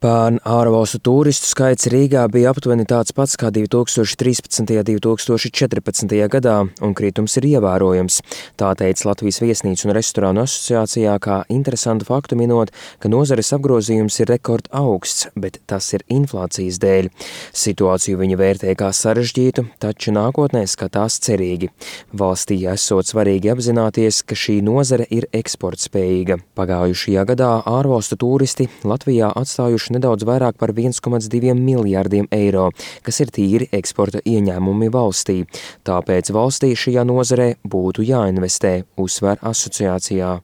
Pērn ārvalstu tūristu skaits Rīgā bija aptuveni tāds pats kā 2013. un 2014. gadā, un kritums ir ievērojams. Tā teica Latvijas Viesnīcu un restorānu asociācijā, kā interesantu faktu minot, ka nozares apgrozījums ir rekord augsts, bet tas ir inflācijas dēļ. Situāciju viņi vērtē kā sarežģītu, taču nākotnē skatās cerīgi. Valstī esot svarīgi apzināties, ka šī nozare ir eksportspējīga. Pagājušajā gadā ārvalstu tūristi Latvijā atstājuši nedaudz vairāk par 1,2 miljārdiem eiro, kas ir tīri eksporta ieņēmumi valstī. Tāpēc valstī šajā nozarē būtu jāinvestē, uzsver asociācijā.